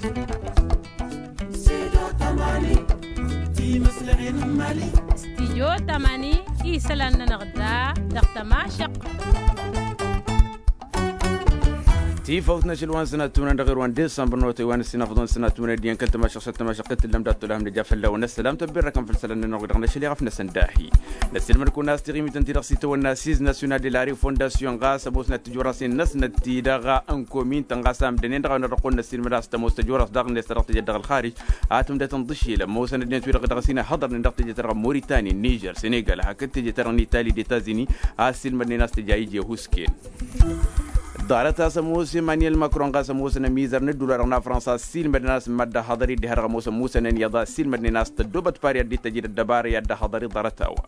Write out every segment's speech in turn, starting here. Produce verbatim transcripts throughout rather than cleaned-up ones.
Studio tamani, isălan-nănăɣ da dăɣ-tămašăqq. Tifawt n-ašăl wa n-sănat tumǝnăn dăɣ-irwan desambăr n-otăy wa n-ăssinafăḍăn sănat tumǝnăn d-iyyăn kăl-tămašăqq s-ad-tămašăqq t-tǝllăm dat-tolhăm nǝja fălla-wen ăssălam tăbbirrăkăn făll-isălan n-ănnuɣ dăɣ-năšăl iɣăf-năsăn dahi. Năssilmăd-kăwăn a-s tiɣimit ǝnta-i-dăɣ s-itawănna siz nasyonal de la refondasyon ɣas ămoosnăt tǝjur-as-en năsnăt-ti-dăɣ n-komin-tăn ɣas amdănen dăɣ-a-wen-dăɣ dăɣ-kăwăn năssilmăd a-s tămoos tăjur-as daɣ-net ta dăɣ-tejăt dăɣ-ălxarij. Ad-tǝmdăt ǝnḍǝšilăm ămoosăn ăddinăt-wi-dăɣ dăɣ-s hin-ăhhăḍărnen dăɣ-tejăt ta dăɣ-moritani nižer senegal hakd tejăt ta dăɣ-nitali d-etazini. A ăssiilmădnen a-s tǝja iji ăhusken. Ḍarăt a-s ămoos emanyel makron ɣas ămoosăn ămizăr n-ădduul-wa-dăɣ n-afrănsa ăssiilmădnen a-s mad-ăhhăḍăr-i dd-iha-dăɣ ămoos ămusănăn iyyăḍ a ăssiilmădnen a-s tăddoobăt pari ad-dd-tăjid ăddăbara i-ad-dd-ăhhăḍăr-i ḍarăt-a-wa.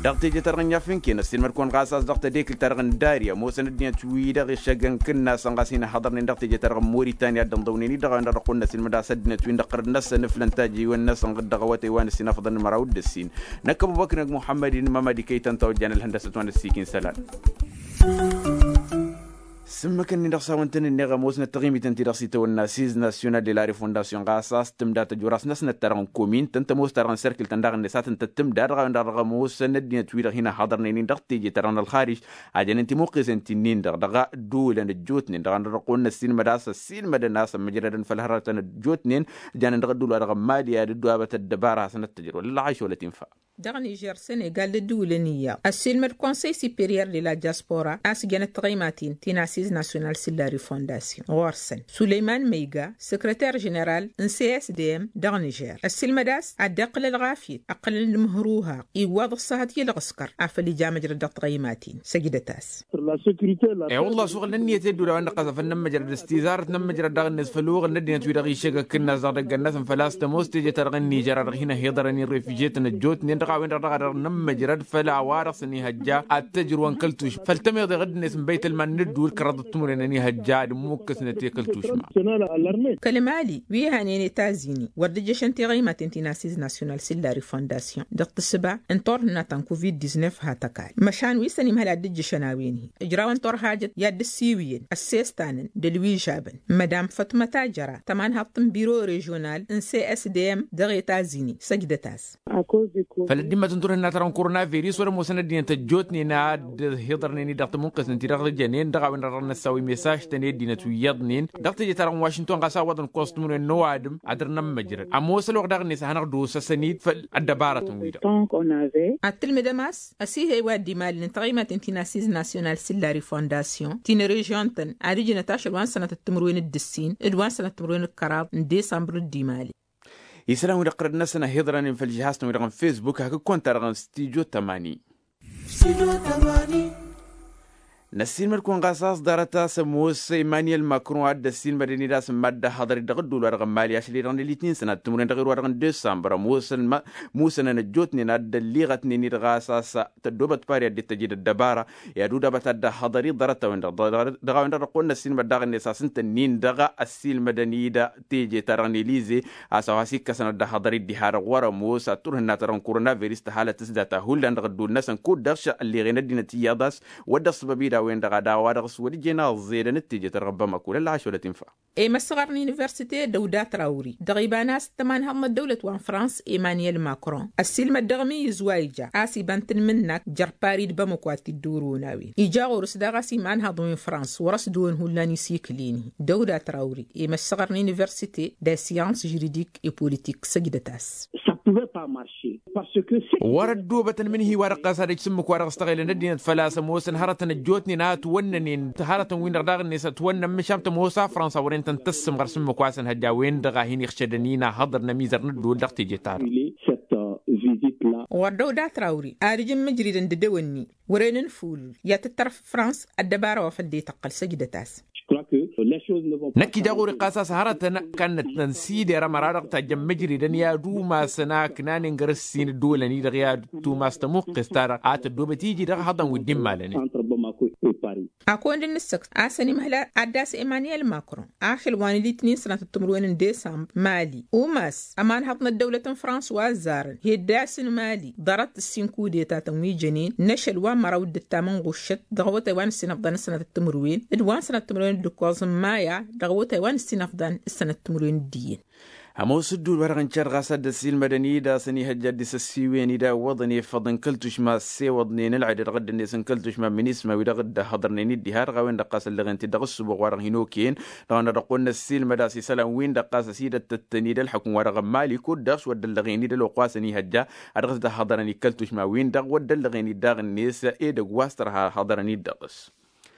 Dăɣ-teje-ta-dăɣ n-iyyăf n-ken ăssiilmăd-kăwăn ɣas a-s dăɣ-tadekǝlt-ta-dăɣ n-dari ămoosăn ăddinăt-wi-dăɣ išăggăn kǝnnasăn ɣas hin-ăhhăḍărnen dăɣ-teje-ta-dăɣ n-moritani ad-dd-ănḍăwnen-dd dăɣ-a-wen-dăɣ dăɣ-kăwăn-năsilmăd a-s ăddinăt-win-dăɣ ɣărăt-năsăn ǝflăn tajjăy-wen-năsăn dăɣ-awătay wa n-ăssinafăḍăn n-măraw d-ǝssin. Năkk ăbubăkr năgg muḥămmăd-in mămăd ikăy-tăn tawăjjan ălhăndăsăt wa n-ăssiik-in isălan. S-ǝmmǝk-ǝnnin-dăɣ s-hawăn-tăn-ǝnneɣ ămoosnăt taɣimit ǝnta-i-dăɣ s-itawănna siz nasyonal de la refondasyon ɣas a-s tǝmda tăjur-as năsnăt-ta-dăɣ n-komin-tăn tămoos-ta-dăɣ n-serkǝl-tăn daɣ-net a tǝntăt tǝmda dăɣ-a-wen-dăɣ dăɣ-ămoosăn ăddinăt-wi-dăɣ hin-ăhhăḍărnen-in dăɣ-teje-ta-dăɣ n-ălxarij. A jănen timuqqesen ti-nin-dăɣ dăɣ-ădduulăn ăjjootnen dăɣ-a-wen-dăɣ dăɣ-kăwăn-năssiilmăd a-s ăssiilmădăn a-s ămmăjrădăn făll-hărătăn ăjjootnen. Janen dăɣ-ădduul-wa-dăɣ n-mali ad-ăddoabăt ăddăbara hasăn-ăttăjrăw ăllăɣayš wăla tinfa. Dăɣ-nižer senegal d-ădduulăn iyyăḍ ăssiilmăd konsăy superior de la diaspora a-s jănăt tiɣăymaten ti n-asiz nasyonal sillari fondasyon ɣur-săn sulăyman măyga săkrăter ženeral n-csdm dăɣ-nižer ăssiilmăd a-s ad-dd-iqqǝl ălɣafyăt ǝqqǝlăn d-imǝhrǝwha iwwaḍ ăṣṣahăt i-ălɣǝskăr afăl ija măjrăd dăɣ-tiɣăymaten săjdăt-as. E-wălla-s uɣǝl n-ǝnniyăt i-ădduul a-wen-dăɣ ɣas afăl nămmăjrăd s-tizarăt nămmăjrăd daɣ-net făll-uɣǝl n-ăddinăt-wi-dăɣ išăgg akǝnnas dăɣ-idăgg-năsăn făl-a-s tămoos teje-ta-dăɣ n-nižer a dăɣ-hin-ăhiḍărăn i-refijyetăn ăjjootnen dăɣ-a-wen-dăɣ dăɣ-a dăɣ-nămmăjrăd făll-a-wa-dăɣ s-ănihăjja ad-tăjrǝwăn kăl-tušma făll-tămiḍe ɣǝdd-net n-băytălman n-ădduul kăraḍăt timǝrwen ănihăjja ad-ǝmmukkǝsnăt i-kăl-tušma. Kăl-mali wi hănen etazini wăr dd-ǝjjăšăn tiɣăymaten ti n-asiz nasyonal sillari fondasyon dăɣ-tǝssǝba n-turhǝnna ta n-covid-diznef ha tăkall măšan wi săn imhăl ad-dd-ǝjjăšăn a-wen-hi ǝjrawăn turhajăt i-ad-dd-ǝssiwǝyăn ăssestanăn d-ălwižabăn mădam fătmăt a jăra tămanhaḍt n-biro režional n-csdm dăɣ-etazini săjdăt-as. Făll-ăddimmăt n-turhǝnna ta dăɣ-n koronavirus wăr-ămoosăn ăddinăt ăjjootnen ad-dd-hiḍărnen-dd dăɣ-tămunqǝsnăn-ti-dăɣ ǝjănen dăɣ-a-wen-dăɣ dăɣ-năssaw imesaj-tăn i-ăddinăt wi iyyăḍnen dăɣ-teje-ta-dăɣ n-wašington ɣas a ǝwwăḍăn kostumǝnwen n-ăwadǝm ad-dăr-nămmăjrăd ămoos ălwăqq daɣ-net a hanăɣ-dd-osăsăn-dd făll-ăddăbarătăn-wi-dăɣ. Ad-tǝlmǝdăm a-s ăsihăy wa dd-imalăn n-taɣimaten ti n-asiz nasyonal sillari fondasyon ti n-režyon-tăn ad-ǝjǝnăt ašăl wa n-sănatăt timǝrwen d-ǝssin d-wa n-sănatăt timǝrwen d-kăraḍ n-desambăr dd-imali. Isălan-wi-dăɣ tărăd-năsăn ăhiḍrănen făll-žihaz-tăn-wi-dăɣ n-fesbuk hakd konta-dăɣ n-studyo tămani. Năssiilmăd-kăwăn ɣas a-s ḍarăt a-s ămoos emanyel makron a dd-ăssiilmădăn-dd a-s n-mad-dd-ăhhăḍăr-dd dăɣ-ădduul-wa-dăɣ n-mali ašăl-i-dăɣ n-elitnin sănat timǝrwen dăɣ-irwa-dăɣ n-desambăr ămoosăn musănăn ăjjootnen a dd-ălliɣătnen-dd ɣas a-s tăddoobăt pari ad-dd-tăjed ăddăbara i-ad-udabăt ad-dd-ăhhăḍăr-i ḍarăt-a-wen-dăɣ. Dăɣ-a-wen-dăɣ dăɣ-kăwăn-năssiilmăd daɣ-net a-s ǝnta-nin-dăɣ ăssiilmădăn-dd teje-ta-dăɣ n-elize a-s a-wa s-ikkăsăn ad-dd-ăhhăḍăr-dd diha-dăɣ wăr-ămoos ad-turhǝnna-ta-dăɣ n-koronavirus tăhalăt s-data hullan dăɣ-ădduul-năsăn kud-dăɣ šălliɣen ăddinăt iyyăḍ a-s wăr dd-ăṣṣăbăb-dd a-wen-dăɣ ad-a-wa-dăɣ s-wăr ǝjjen aẓẓedăn d-teje-ta-dăɣ n-bamako lălɣaš wăla tinfa. E-măssăɣăr n-universite dăw-dat rawri dăɣ-iba n-a-s tămanhăḍ n-ăddăwlăt wa n-frans emanyel makron ăssiilmăd dăɣ-imǝyyǝz wa ija a-s iba n-tanmǝnnak jer-pari d-bamako ad-t-dd-orăwăn a-wen ija ɣur-s daɣ a-s imanhăḍ wi n-frans wăr-ăsdăwăn hullan isikǝl-in-hi. Dăw-dat rawri e-măssăɣăr n-universite de science juridique et politique săjdăt-as. Wăr-ăddoobătăn mǝnhǝy-wa-dăɣ ɣas ad-ăj s-ǝmmǝk-wa-dăɣ s-tăɣelăn ăddinăt făl-a-s ămoosăn hărătăn ăjjootnen a ătwănnănen hărătăn-win-dăɣ daɣ-net ătwănnăn măšan tămoos a frănsa wăren tăn-tăssǝmɣăr s-ǝmmǝk wa s-ănhăjja a-wen-dăɣ a hin-iɣšădăn-in a hăḍărăn ămizăr n-ădduul dăɣ-teje-ta-dăɣ. Wăr dăw-dat rawri ad-ǝjǝn mǝjridăn d-edăwănni wăren n-ful i-ad-tǝttăr frans ăddăbara wa făl dd-ităqqăl săjdăt-as. Năkk ija ɣur-i ɣas a-s hărătăn kannăt tăn-sider ămăra-dăɣ tajjăn mǝjridăn i-ad-umasăn a ǝknanen găr-ǝssin ădduulăn-i-dăɣ i-ad-tumas tămuqqes-ta-dăɣ a tăddoobăt iji dăɣ-hăḍăn wi dd-immalănen. Akăwăn-dd-nǝssăkt a-s ănimăhla ad-dd-as emaniyel makron ašăl wa n-litnin sănatăt timǝrwen n-desambr mali umas ămanhăḍ n-ăddăwlăt n-frans wa ăzzarăn heddasăn mali ḍarăt ǝssin kudetatăn wi jănen n-ašăl wa n-măraw d-ǝttam n-ɣuššăt dăɣ-awătay wa n-ǝssin ăfḍan s-sănatăt timǝrwen d-wa n-sănatăt timǝrwen d-ǝkkoẓ n-maya dăɣ-awătay wa n-ǝssin ăfḍan s-sănatăt timǝrwen d-iyyăn. Ămoos ǝddul wa-dăɣ n-cad ɣas ad-dd-ăssiilmădăn-dd a-s ănihăjja dd-isăssiwen-dd a ǝwwăḍăn i-făḍ n-kăl-tušma ăssewăḍnen ălɣed dăɣ-dd-net n-kăl-tušma n-minisma wi dăɣ-dd-ăhhăḍărnen-dd diha-dăɣ a-wen-dăɣ ɣas ăllăɣen-t-dd dăɣ-ǝssǝboɣ wa-dăɣ hin-okăyăn dăɣ-a-wen-dăɣ ăqqol n-ăssiilmăd a-s isălan-win-dăɣ ɣas ăsidăttăttăn-dd ălxukǝm wa dăɣ-n mali kud-dăɣ s-wăr dd-ăllăɣen-dd ălwăqq wa s-ănihăjja ad-dăɣ-s dd-ăhhăḍărăn i-kăl-tušma-win-dăɣ wăr dd-ăllăɣen-dd daɣ-net edăgg wa s-tărha ăhhăḍărăn-dd dăɣ-s.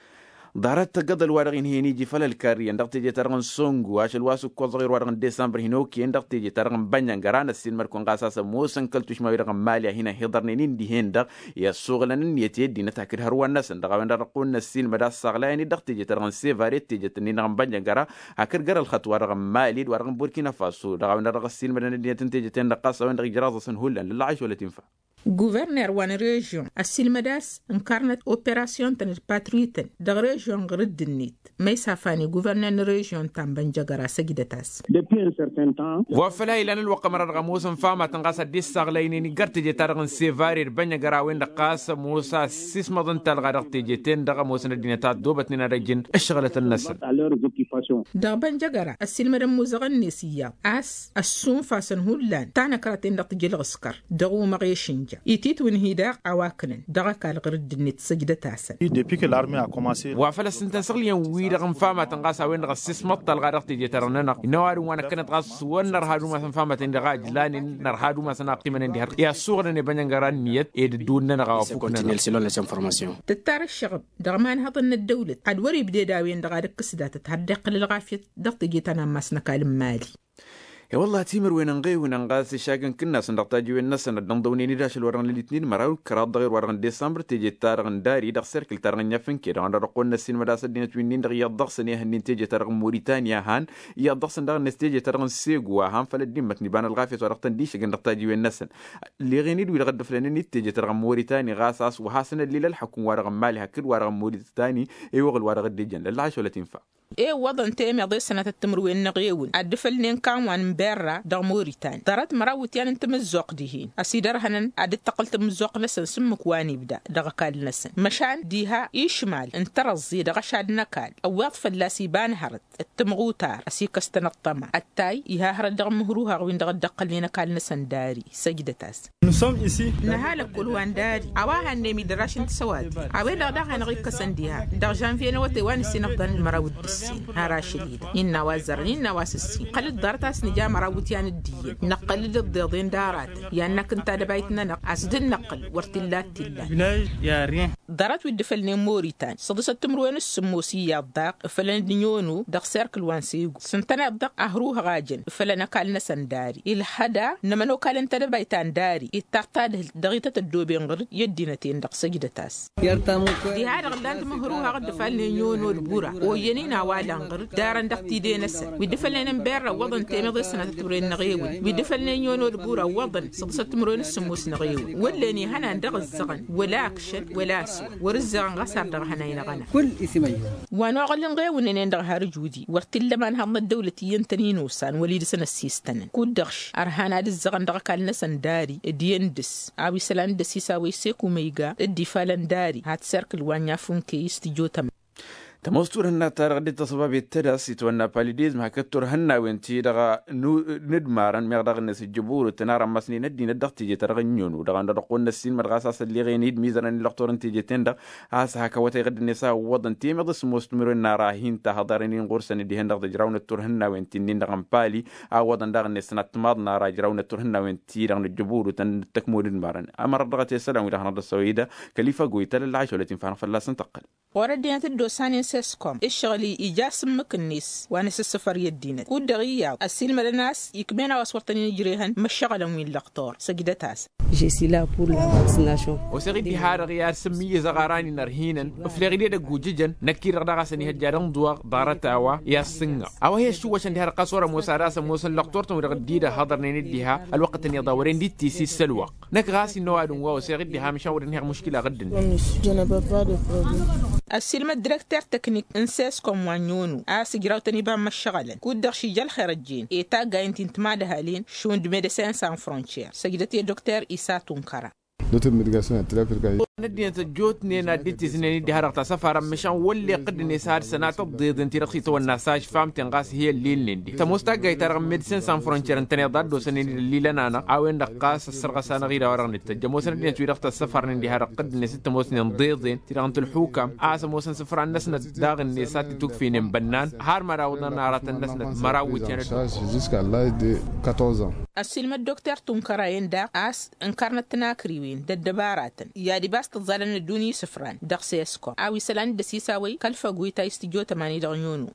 Ḍarăt tăggăḍăl wa dăɣ-inhăyăn iji făll-ălkarriyăn dăɣ-teje-ta-dăɣ n-songu ašăl wa s-ǝkkoẓăɣ i-ărwa dăɣ-n desambăr hin-okăyăn dăɣ-teje-ta-dăɣ n-bănjăngăra n-ăssiilmăd-kăwăn ɣas a-s ămoosăn kăl-tušma wi-dăɣ n-mali a hin-ăhiḍărnen-in dihen-dăɣ i-ăssuɣǝlăn ǝnniyăt i-ăddinăt hakd hărwa-năsăn dăɣ-a-wen-dăɣ dăɣ-kăwăn-năssiilmăd a-s saɣlayăn-dd dăɣ-teje-ta-dăɣ n-sevare d-tejet-nin-dăɣ n-bănjăngăra hakd găr-ălxăṭṭ wa dăɣ-n mali d-wa dăɣ-n burkina faso dăɣ-a-wen-dăɣ dăɣ-ăssiilmădăn ăddinăt n-tejet-in-dăɣ ɣas a-wen-dăɣ ijraẓ-asăn hullan lălla ašăwălăt infa. Guverner wa n-režion ăssiilmăd a-s ǝnkarnăt operasyon-tăn d-patruytăn dăɣ-režion ɣǝr-dd-net ma isafan i-guverner n-režion ta n-bănjăgăra săjdăt-as. Wa făl a ilan ălwăqq ămăra dăɣ-ămoosăn famatăn ɣas ad-dd-issaɣlaynen iggar teje-ta-dăɣ n-sevare d-bănjăgăra a-wen-dăɣ ɣas ămoos a ăssismăḍăn talɣa dăɣ-teje-ten-dăɣ ămoosăn ăddinăt a ăddoobătnen ad-ăjjǝn ǝššăɣǝlătăn-năsăn. Dăɣ-bănjăgăra ăssiilmădăn imuzăɣăn-net iyyăḍ a-s ăssunfasăn hullan tanăkra-ten-dăɣ tǝjǝl ɣǝskăr dăɣ-umăɣ i-išǝnja ititwǝnhi daɣ a-wa kǝnăn dăɣ-ăkall ɣǝr-dd-net săjdăt-asăn. Wa făl ăssintăn săɣlǝyăn-wi-dăɣ n-famatăn ɣas a-wen-dăɣ ăssismăḍ talɣa dăɣ-teje-ta-dăɣ-nănăɣ innă ăwadǝm wa năkkănăt ɣas wăr nărha ad-umasăn famatăn-in-dăɣ a ǝjlanen nărha ad-umasăn a ăqqimănen diha-dăɣ i-ad-suɣǝlăn i-bănjăngăra ǝnniyăt ed ǝddǝwǝl-nănăɣ a wa fuknănăɣ. Tǝttar ǝššăɣǝb dăɣ-imanhăḍăn n-ăddăwlăt ad-wăr-ibded a-wen-dăɣ ad-ǝkkǝs datăt har dd-iqqăl ălɣafyăt dăɣ-teje ta n-ammas n-ăkall n-mali. E-wălla-hi timǝrwen ănɣewǝnăn ɣas išakk n-kǝnnasăn dăɣ-tajiwen-năsăn ad-dd-ănḍăwnen-dd ašăl wa-dăɣ n-elitnin măraw d-kăraḍ dăɣ-erwa-dăɣ n-desambăr teje-ta-dăɣ n-dari dăɣ-serkǝl-ta-dăɣ n-inyafǝnke dăɣ-a-wen-dăɣ dăɣ-kăwăn-năssiilmăd a-s ăddinăt wi-nin-dăɣ iyyăḍ dăɣ-săn ehăn-in teje-ta-dăɣ n-moritani a han iyyăḍ dăɣ-săn daɣ-net teje-ta-dăɣ n-segu a han făll-ăddimmăt n-iba n-ălɣafyăt wa dăɣ-tăn-dd-išǝgăn dăɣ-tajiwen-năsăn. Ǝlleɣen-dd wi-dăɣ dd-ǝflănen-dd teje-ta-dăɣ n-moritani ɣas a-s wa hasăn-ăllil ălḥăkum wa dăɣ-n mali hakd wa dăɣ-n moritani i-uɣǝl wa dăɣ-dd-ijăn lălla ašăl ătinfa. Iwwăḍăn temeḍe s-sănatăt timǝrwen n-eɣewǝn ad-dd-ǝfălnen kanwan n-berra dăɣ-moritani ḍarăt măraw iwǝtyan n-tamǝzzuɣt dihen ăsidărhănăn ad-dd-tăqqǝl tamǝzzuɣt-năsăn s-ǝmmǝk wa n-ibda dăɣ-ăkall-năsăn măšan diha išmal n-tărăẓẓe dăɣ-ašad n-ăkall ăwweḍ fălla-s iba n-hărăt d-tamɣutar ăsikăstăn ăṭṭăma ăttay iha hărăt dăɣ-imǝhruhaɣ-win-dăɣ dd-ăqqălnen ăkall-năsăn dari săjdăt-as. Năhalăkkul wa n-dari a-wa hannăyăm idăraš n-tisăwati a-wen-dăɣ daɣ hanăɣ-ikkăsăn diha dăɣ-žănvye n-awătay wa n-ǝssin ăfḍăn d-măraw d-ǝssin har ašăl-i-dăɣ innă a-wa ăzzărăn innă a-wa s-ǝssin iqqăl-dd ḍarăt a-s nǝja măraw iwǝtyan d-iyyăn năqqăl-dd ǝḍḍeḍen d-aratăn i-ad-năkk n-tadăbayt n-anăɣ a-s dd-năqqǝl wăr t-illa ad-t-illan. Ḍarăt wi dd-ǝfălnen moritan săḍǝsăt timǝrwen s-sǝmmos iyyăḍ daɣ ǝfălăn-dd n-yono dăɣ-serkǝl wa n-segu s-ǝntăneḍ-dăɣ ahruhăɣ a jăn ǝfălăn ăkall-năsăn dari ilhăda n-ămănokal n-tedăbayt ta n-dari ittaɣ tadhǝlt dăɣ-ităt ăddooben ɣǝr-dd i-ăddinăt-en-dăɣ săjdăt-as. Diha-dăɣ ǝllan-dd imǝhruhăɣ dd-ǝfalnen yono d-bura oyyăn-in a-wa lan ɣǝr-dd darăn dăɣ-tide-năsăn wi dd-ǝfălnen n-berra ǝwwăḍăn temeḍe s-sănatăt timǝrwen n-eɣewǝn wi dd-ǝfălnen yono d-bura ǝwwăḍăn săḍǝsăt timǝrwen s-sǝmmos n-eɣewǝn wăllen ihănan dăɣ-ǝzzăɣăn wăla akšăn wăla aswa wăr-ǝzzăɣăn ɣas ar dăɣ-hănay n-aɣăna. Wa n-oɣăl n-ɣewǝn-nen-dăɣ har ǝjudi wăr t-illa ma n-haḍnăt dăwlăt iyyăn-tăn inosan wăla idǝsăn ăssistănăn kud-dăɣ š-ărhan ad-ǝzzăɣăn dăɣ-ăkall-năsăn dari d-iyyăn dăr-s a-wa isălan d-ăsisawăy seku măyga dd-ifalăn dari hat serkǝl wa n-inyafǝnkey s-tijotămăn. Tămoos turhǝnna-ta-dăɣ dd-tăṣbabet tădas itwănna palidezm hakd turhǝnnawen-ti-dăɣ n-ǝdmarăn meɣ daɣ-net ǝjjǝburǝtăn ar ămmăsnen ăddinăt dăɣ-teje-ta-dăɣ n-inono dăɣ-ănn dăɣ-ăqqol n-ăssiilmăd ɣas a-s ălleɣen-dd mizărăn i-lăqtor n-teje-ten-dăɣ a-s hak awătay ɣǝddǝnet a ǝwwăḍăn temeḍe s-ămoos timǝrwen n-ara hin-tahăḍaren-in ɣur-săn dihen-dăɣ tǝjrawnet turhǝnnawen ti-nin-dăɣ n-pali a ǝwwăḍăn daɣ-net sănat timaḍ n-ara ǝjrawnet turhǝnnawen-ti-dăɣ n-ǝjjǝburǝtăn d-tăkmod ǝdmarăn. Ămărăt dăɣ-tesălan-wi-dăɣ hanăɣ-dd-ăssăwăy-dd kăl-ifa goytăl ălɣašolăt infa hanăɣ-fălla-săn tăqqăl. Ɣur-ăddinăt dd-osanen s-eskom ǝššăɣǝl-i ija s-ǝmmǝk-net wa n-asǝssǝfăr i-ăddinăt kud-dăɣ iyyăḍ ăssiilmădăn a-s ikmen a-wa s-wăr tăn-in-ǝjrehăn măššăɣǝlăn wi n-lăqtor săjdăt-asăn. Oseɣ-dd diha-dăɣ i-ad-sǝmmǝyyǝzăɣ aran-in ărhinăn ǝfleɣ-dd edăgg ujǝjăn năkk-i-dăɣ daɣ a-s ănihăjja d-ănḍuwăɣ ḍarăt a-wa i-ad-sǝnnăɣ a-wa hi-ăššǝwwăšăn diha-dăɣ ɣas wăr ămoos ad-asăn ămoosăn lăqtor-tăn wi-dăɣ dd-idăhhăḍărnen-dd diha ălwăqqătăn iyyăḍ a wăren dd-tisi s-ălwăqq. Năkk ɣas innă ăwadǝm wa oseɣ-dd diha măšan wăr ănhăyăɣ muškila ɣǝddǝn. Ăssiilmăd direkter teknik n-seskom wa n-iono a-s ǝjrawtăn iba n-imăššăɣălăn kud-dăɣ šija ălxer ăjjeen i-taggayăn ti n-timadhalin šund medecin san frontier săjdăt i-dokter isa tunkăra. N-ăddinăt ăjjootnen ad-dd-tǝznen-dd diha-dăɣ ta săfarăn măšan wălleɣ dd-net ad-sănatăt ḍeḍen ti-dăɣ s-itwănna s-ažfamten ɣas hi-ăllilnen-di tămoos taggayt-ta-dăɣ n-medecin san frontier ǝntăneḍ a dd-osănen-dd ăllilăn-anăɣ a-wen-dăɣ ɣas ăssărɣăs-anăɣ-dd a-wa-dăɣ nǝttăjj ămoosăn ăddinăt-wi-dăɣ tăssăfarnen diha-dăɣ dd-net dd-tămoosnen ḍeḍen ti-dăɣ n-tǝlxukam a-s ămoosăn isǝfran-năsnăt daɣ-net a t-tukfinen bănnan har mad-awǝḍăn aratăn-năsnăt măraw wǝjjan. Ăssiilmăd dokter tunkăra-en daɣ a-s ǝnkărnăt tinakriwen d-ăddăbaratăn i-ad-ibas tǝẓẓalăn ăddunya isǝfran dăɣ-seskom a-wa isălan dd-ăsisawăy kăl-făgwit a istǝjjo tămani dăɣ-nyono.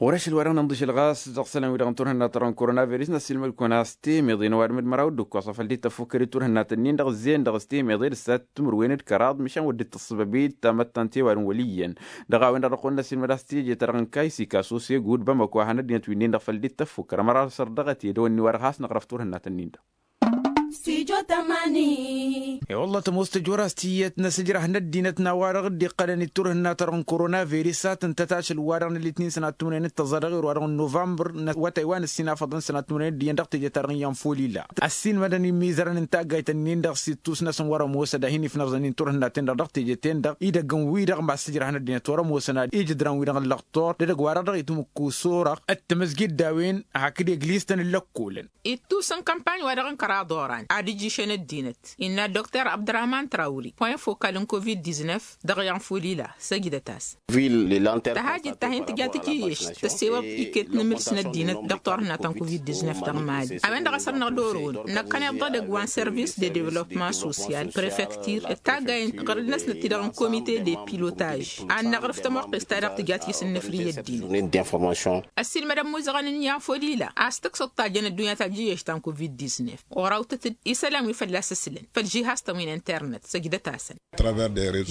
Ɣur-ašăl wa dăɣ-nǝnḍǝšăl ɣas dăɣ-isălan-wi-dăɣ n-turhǝnna tărăn koronavirus n-ăssiilmăd-kăwăn a-s temeḍe n-ăwadǝm d-măraw d-ǝkkoẓ a făl dd-tăffukkăd i-turhǝnnat-nin-dăɣ ǝzzeyăn dăɣ-s temeḍe d-ǝssat timǝrwen d-kăraḍ măšan wăr dd-tǝssǝbăb i-tamăttant i-ăwadǝm wăl' iyyăn. Dăɣ-a-wen-dăɣ dăɣ-kăwăn-năssiilmăd a-s teje-ta-dăɣ n-kaysi kasus i-gud bamăko a hanăt-dinăt wi-nin-dăɣ făl dd-tăffukkăr ămăra săr dăɣ-t i-dăwănni wa dăɣ-has-năɣrăf turhǝnnat-nin-dăɣ. I-wălla tămoos tăjora s-tiyyăt n-asǝjrăh n-ăddinăt n-a-wa-dăɣ dd-iqqălăn i-turhǝnna-ta-dăɣ n-koronavirus a tǝntăt ašăl wa-dăɣ n-ălitnin sănat timǝrwen d-tăẓẓa dăɣ-i ru-wa-dăɣ n-novămbăr n-awătay wa n-ǝssin afăḍăn sănat timǝrwen d-iyyăn dăɣ-teje-ta-dăɣ n-iyyăn folila. Ăssiilmădăn imizărăn n-taggayt-nin-dăɣ s-ittus-năsăn wăr-ămoos ad-hin-ifnăẓăn-in turhǝnnaten-dăɣ dăɣ-teje-ten-dăɣ idăgg n-wi-dăɣ ma s-tǝjrăh n-ăddinăt wăr-ămoosăn ad-ijǝdran-wi-dăɣ n-lăxtor d-edăgg wa-dăɣ dăɣ-itǝmǝkku s-orăɣ d-tamǝzgit d-a-wen hakd eglistăn n-lăkkolăn. Ittus n-kămpanj wa dăɣ-n kăraḍ oran ad-ǝjjǝšăn ăddinăt innă dokter abdărahman trawri point fokal n-covid-diznef dăɣ-iyyăn folila săjdăt-as. Tăhajǝt ta hin-tǝja tijǝyyešt tăssewăḍ iket n-imǝls n-ăddinăt dăɣ-turhǝnna ta n-covid-diznef dăɣ-mali a-wen-dăɣ a săr-năɣ d-orăwăn năkkăneḍ d-edăgg wa n-service de devăloppement social prefektir d-taggay n-tiɣrǝd-năsnăt ti-dăɣ n-komite de pilotaj ad-năɣrǝf tămoqqest-ta-dăɣ tǝja tisǝnnǝfri i-ăddinăt. Ăssiilmădăn imuzăɣăn n-iyyăn folila a-s tǝksǝḍ tajjăn ăddunya tajǝyyešt ta n-covid-diznef orawtăt-dd isălan wi fălla-s ǝslăn făll-žihastăn wi n-internet săjdăt-asăn.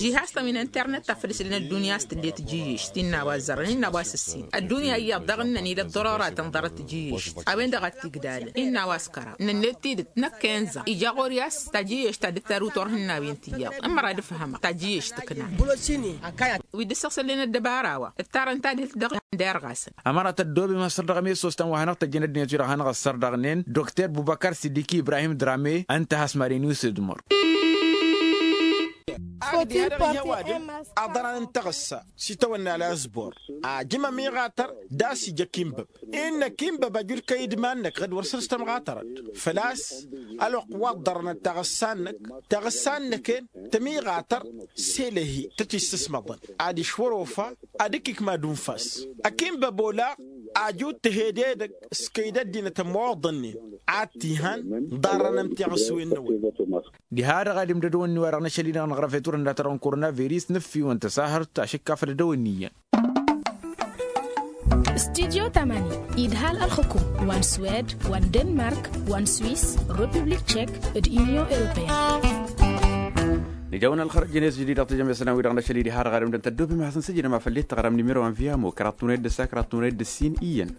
Žihastăn wi n-internet ta făll-ǝslăn ăddunya a-s tǝllet tijǝyyešt innă a-wa ăzzărăn innă a-wa s-ǝssin ăddunya iyyăḍ daɣ ǝnnăn ila ăḍḍărăratăn ḍarăt tijǝyyešt a-wen-dăɣ a t-igdalăn innă a-wa s-kăraḍ nănnet tidǝt năkk inza ija ɣur-i a-s tajǝyyešt ta dd-taru turhǝnnawen ti iyyăḍ ămăra ad-ǝfhămăɣ tajǝyyešt tǝkna. Wi dd-ǝssăɣsălnen ăddăbara-wa ǝttarăn tadhǝlt dăɣ-ihăndăyărɣasăn. Ămăra tăddoobem asăr dăɣ-emessos ta n-wa hanăɣ-tăjjăn ăddinăt wi-dăɣ hanăɣ-ăssărdăɣnen dokter bubăkar sidiki ibrahim drame ǝnta has-mad-en usǝdmăr. Aḍran n-taɣǝssa s-itawănna lasbor ajǝm ămiɣatăr d-a-s ija kinbăb innă kinbăb ajud kăy-idman-năk ɣǝd wăr săr-s tămɣatărăd făl-a-s ălwăqq wa ǝḍḍărănăt taɣǝssa-năk taɣǝssa-năk-en tămiɣatăr s-elăhi tăt-issǝsmăḍăn ad-išwăr ofa ad-ǝkk ikmad unfas. Ăkinbăb olaɣ ajud tăhed edăgg s-kăy-dd-ăddinăt ămmoḍănnen ad-t-ihan ḍarrăn ămtiɣǝswen-năwăn. Diha-dăɣ ad-imdădăwăn-ni-wa-dăɣ n-ašăl-i-dăɣ năɣrăf i-turhǝnna-ta-dăɣ n-koronavirus nǝffiwăn tăsahărt ašǝkkafăd ad-dăwăn-ni iyyăn. Studyo tamani idhal ălxǝkum wa n-swed wa n-denmark wa n-swis, republik tšek, d-inyon europeyăn. Nǝja-wăn ălxărăt jănes jădid dăɣ-tijămesăn a-wi-dăɣ n-ašăl-i diha-dăɣ ad-ǝmdăn tăddoobem ad-hasăn-săjdăm a făl dd-tăɣrăm nimero n-viyamo kăraḍ tunăyăt d-ǝssa kăraḍ tunăyăt d-ǝssin iyyăn.